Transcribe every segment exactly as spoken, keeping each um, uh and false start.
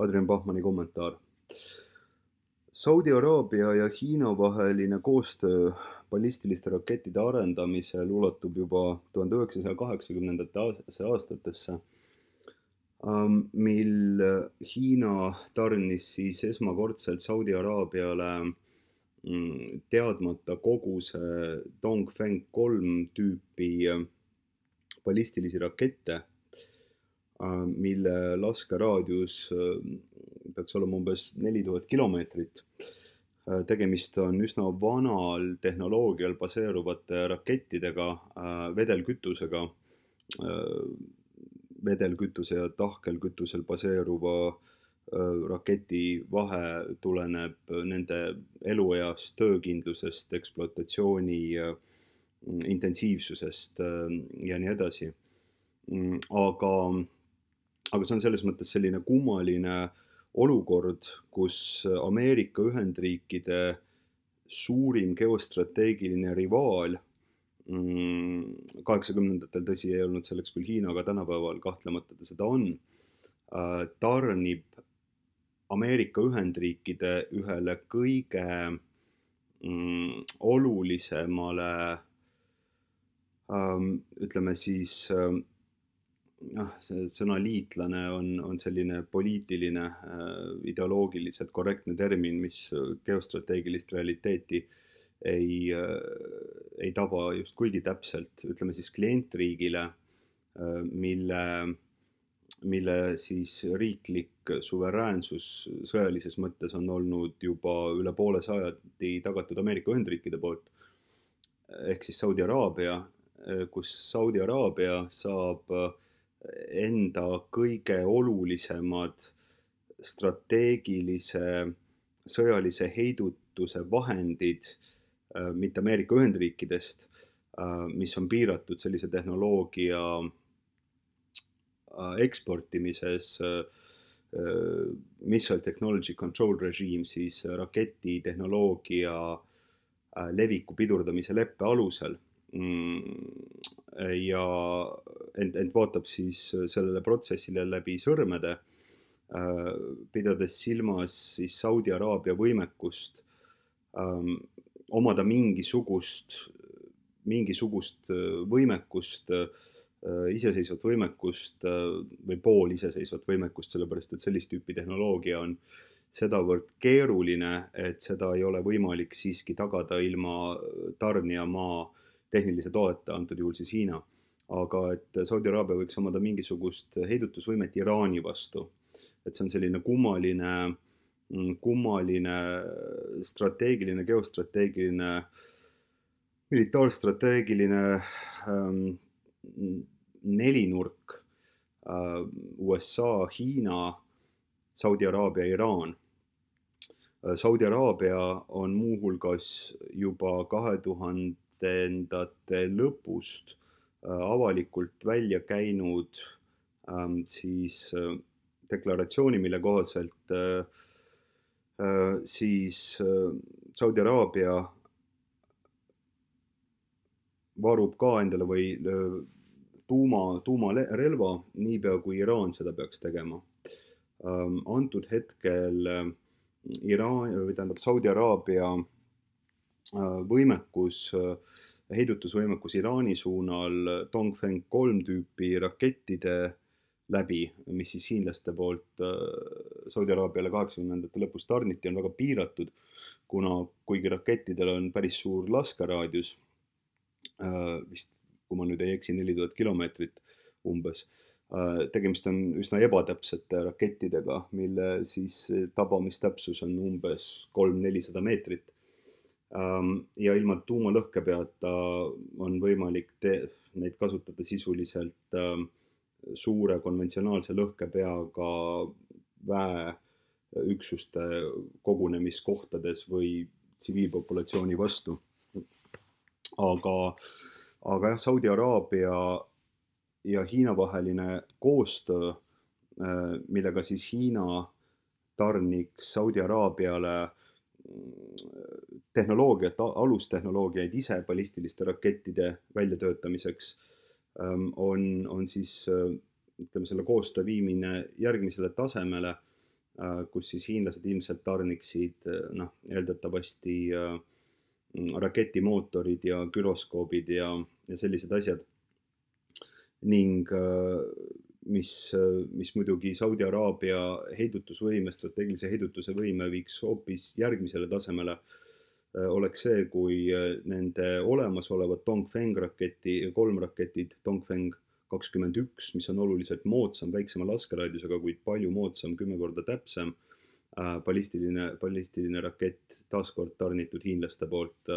Adrian Bachmanni kommentaar. Saudi Araabia ja Hiina vaheline koostöö ballistiliste rakettide arendamisel ulatub juba tuhande üheksasaja kaheksakümnendate aastatesse, mil Hiina tarnis siis esmakordselt Saudi Araabiale teadmata koguse Dongfeng kolm tüüpi ballistilisi rakette, mille laskeraadius peaks olema umbes neli tuhat kilomeetrit. Tegemist on üsna vanal tehnoloogial baseeruvate rakettidega, vedelkütusega, vedelkütuse ja tahkelkütusel baseeruva raketi vahe tuleneb nende elueast, töökindlusest, ekspluatatsiooni intensiivsusest ja nii edasi. Aga, aga see on selles mõttes selline kummaline olukord, kus Ameerika Ühendriikide suurim geostrateegiline rivaal, kaheksakümnendatel tõsi ei olnud selleks küll Hiina, aga tänapäeval kahtlemata ta seda on, tarnib Ameerika Ühendriikide ühele kõige olulisemale, ütleme siis, noh, see sõna liitlane on, on selline poliitiline, ideoloogiliselt korrektne termin, mis geostrateegilist realiteeti ei, ei taba just kuigi täpselt, ütleme siis klientriigile, mille, mille siis riiklik suveräänsus sõjalises mõttes on olnud juba üle poole sajandi tagatud Ameerika Ühendriikide poolt, ehk siis Saudi Araabia, kus Saudi Araabia saab enda kõige olulisemad strateegilise sõjalise heidutuse vahendid mitte Ameerika Ühendriikidest, mis on piiratud sellise tehnoloogia eksportimises, Missile Technology Control Regime, siis raketitehnoloogia leviku pidurdamise leppe alusel. Ja ent, ent vaatab siis sellele protsessile läbi sõrmede, pidades silmas siis Saudi Araabia võimekust ähm, omada mingisugust, mingisugust võimekust, iseseisvat võimekust või pool iseseisvat võimekust, sellepärast et sellist tüüpi tehnoloogia on sedavõrd keeruline, et seda ei ole võimalik siiski tagada ilma tarnijamaa tehnilise toeta, antud juhul siis Hiina. Aga et Saudi Araabia võiks omada mingisugust heidutusvõimet Iraani vastu. Et see on selline kummaline, kummaline strateegiline, geostrateegiline, militaarstrateegiline ähm, nelinurk äh, U S A, Hiina, Saudi Araabia, Iraan. Saudi Araabia on muuhulgas juba kahe tuhandendate lõpust avalikult välja käinud ähm, siis äh, deklaratsiooni, mille kohaselt äh, äh, siis äh, Saudi Araabia varub ka endale või äh, tuuma, tuumarelva, niipea kui Iraan seda peaks tegema. Ähm, antud hetkel äh, Iraan, või tähendab Saudi Araabia äh, võimekus äh, heidutusvõimekus Iraani suunal Dongfeng kolm tüüpi rakettide läbi, mis siis hiinlaste poolt Saudi Araabiale kaheksakümnendate lõpus tarniti, on väga piiratud, kuna kuigi rakettidel on päris suur laskeraadius, vist kui ma nüüd ei eksi, neli tuhat kilomeetrit umbes, tegemist on üsna ebatäpsete rakettidega, mille siis tabamistäpsus on umbes kolm-nelisada meetrit. Ja ilma tuumalõhke peata on võimalik te- neid kasutada sisuliselt suure konventsionaalse lõhkepeaga väeüksuste kogunemiskohtades või tsiviilpopulatsiooni vastu. Aga, aga jah, Saudi Araabia ja Hiina vaheline koostöö, millega siis Hiina tarniks Saudi Araabiale tehnoloogiat, alustehnoloogiaid ise ballistiliste rakettide väljatöötamiseks on, on siis ütleme, selle koostöö viimine järgmisele tasemele, kus siis hiinlased ilmselt tarniksid noh, eeldatavasti raketimootorid ja güroskoobid ja, ja sellised asjad. Ning mis, mis muidugi Saudi Araabia heidutusvõime, strateegilise heidutuse võime viiks hoopis järgmisele tasemele, oleks see, kui nende olemasolevad Dongfeng raketi, kolm raketid, Dongfeng kakskümmend üks, mis on oluliselt moodsam, väiksema laskeraadiusega, kuid palju moodsam, kümme korda täpsem, ballistiline, ballistiline rakett, taaskord tarnitud hiinlaste poolt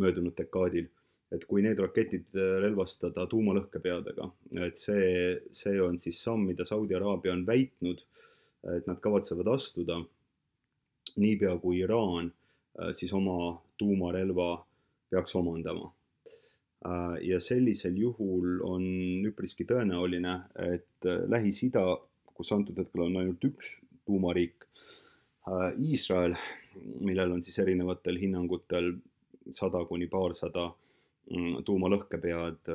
möödunud dekaadil. Et kui need raketid relvastada tuumalõhkepeadega, et see, see on siis samm, mida Saudi Araabia on väitnud, et nad kavatsevad astuda, niipea kui Iraan siis oma tuumarelva peaks omandama. Ja sellisel juhul on üpriski tõenäoline, et Lähis-Ida, kus antud hetkel on ainult üks tuumariik, Iisrael, millel on siis erinevatel hinnangutel sada kuni paarsada tuumalõhkepead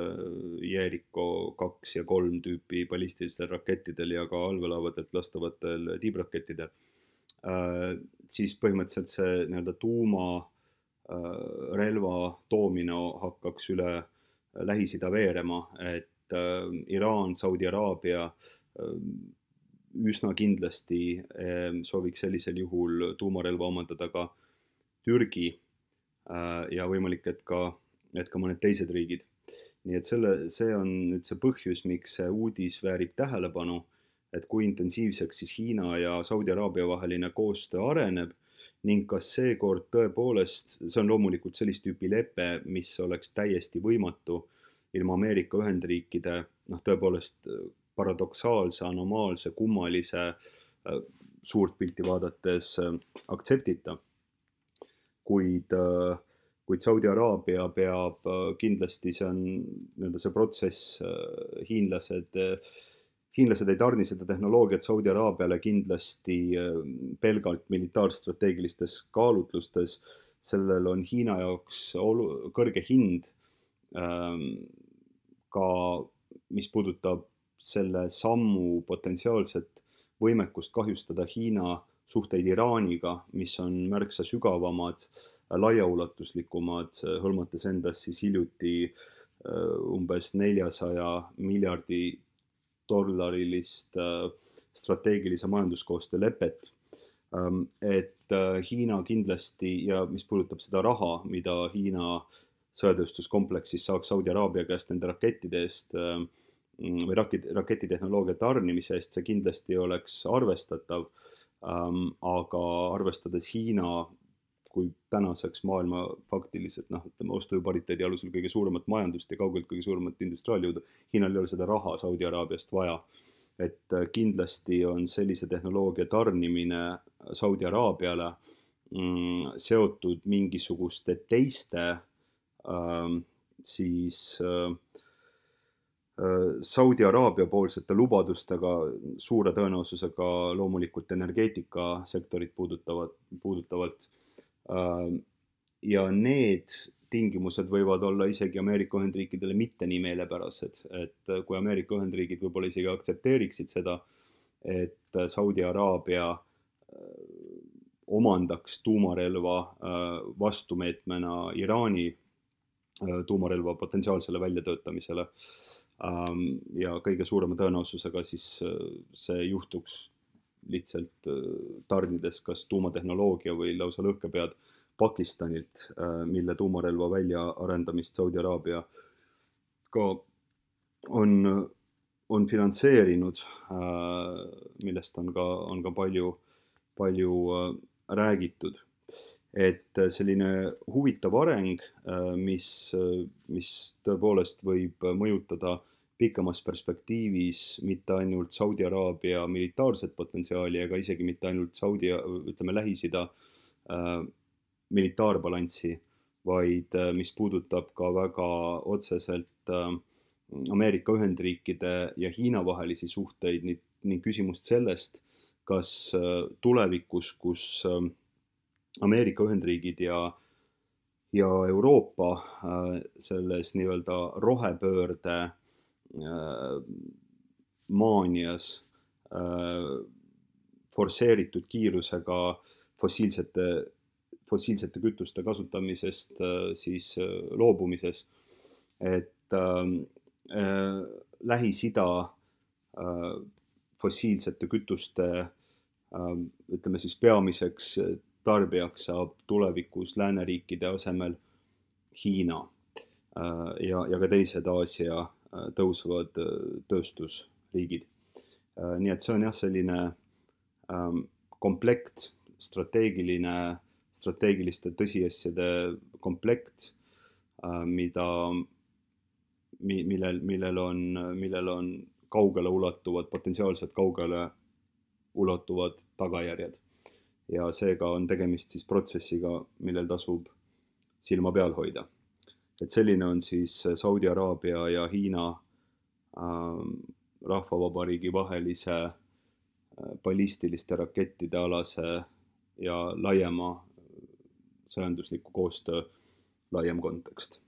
Jericho kaks ja kolm tüüpi ballistilistel rakettidel ja ka allveelaevadelt lastavatel tiibrakettidel, siis põhimõtteliselt see nii-öelda tuumarelva toomine hakkaks üle Lähis-Ida veerema, et Iraan, Saudi Araabia üsna kindlasti sooviks sellisel juhul tuumarelva omandada ka Türgi ja võimalik, et ka et ka mõned teised riigid. Nii et selle, see on nüüd see põhjus, miks see uudis väärib tähelepanu, et kui intensiivseks siis Hiina ja Saudi Araabia vaheline koostöö areneb ning kas seekord tõepoolest, see on loomulikult sellist tüüpi lepe, mis oleks täiesti võimatu ilma Ameerika Ühendriikide noh, tõepoolest paradoksaalse, anomaalse, kummalise suurt pilti vaadates aktseptita, kuid kuid Saudi Araabia peab kindlasti, see on nii-öelda see protsess, hiinlased, hiinlased ei tarni seda tehnoloogiat Saudi Araabiale kindlasti pelgalt militaarstrateegilistes kaalutlustes, sellel on Hiina jaoks olu, kõrge hind, ka mis puudutab selle sammu potentsiaalset võimekust kahjustada Hiina suhteid Iraaniga, mis on märksa sügavamad, laiaulatuslikumad, hõlmates endas siis hiljuti umbes neljasaja miljardi dollarilist strateegilise majanduskoostöö lepet. Et Hiina kindlasti ja mis puudutab seda raha, mida Hiina sõjatööstuskompleksis saaks Saudi Araabia käest nende rakettide eest või raketitehnoloogia tarnimise eest, see kindlasti oleks arvestatav, aga arvestades Hiina kui tänaseks maailma faktiliselt, noh, ütleme, ostujõu pariteedi alusel kõige suuremat majandust ja kaugelt kõige suuremat industriaaljõudu, Hiinal ei ole seda raha Saudi Araabiast vaja. Et kindlasti on sellise tehnoloogia tarnimine Saudi Araabiale mm, seotud mingisuguste teiste äh, siis äh, Saudi Araabia poolsete lubadustega, suure tõenäosusega loomulikult energeetikasektorit puudutavad, puudutavalt. Ja need tingimused võivad olla isegi Ameerika Ühendriikidele mitte nii meelepärased, et kui Ameerika Ühendriigid võib-olla isegi aktsepteeriksid seda, et Saudi Araabia omandaks tuumarelva vastumeetmena Iraani tuumarelva potentsiaalsele väljatöötamisele ja kõige suurema tõenäosusega siis see juhtuks lihtsalt tarnides kas tuumatehnoloogia või lausa lõhkepead Pakistanilt, mille tuumarelva väljaarendamist Saudi Araabia ka on, on finantseerinud, millest on ka, on ka palju, palju räägitud. Et selline huvitav areng, mis, mis tõepoolest võib mõjutada pikemas perspektiivis mitte ainult Saudi Araabia militaarset potentsiaali, ega isegi mitte ainult Saudi, ütleme, Lähis-Ida äh, militaarbalanssi, vaid äh, mis puudutab ka väga otseselt äh, Ameerika Ühendriikide ja Hiina vahelisi suhteid ning, ning küsimust sellest, kas äh, tulevikus, kus äh, Ameerika Ühendriigid ja ja Euroopa äh, selles nii-öelda rohepöörde maanias forsseeritud kiirusega fossiilsete, fossiilsete kütuste kasutamisest siis loobumises, et äh, Lähis-Ida äh, fossiilsete kütuste äh, ütleme siis peamiseks tarbijaks saab tulevikus lääneriikide asemel Hiina äh, ja, ja ka teised Aasia äh, tõusvad äh, tööstusriigid. Äh, nii et see on jah, selline äh, komplekt, strateegiline, strateegiliste tõsiasjade komplekt, äh, mida millel, millel on, millel on kaugele ulatuvad, potentsiaalselt kaugele ulatuvad tagajärjed. Ja seega on tegemist siis protsessiga, millel tasub silma peal hoida. Et selline on siis Saudi Araabia ja Hiina äh, rahvavabariigi vahelise äh, ballistiliste rakettide alase ja laiema sõjandusliku koostöö laiem kontekst.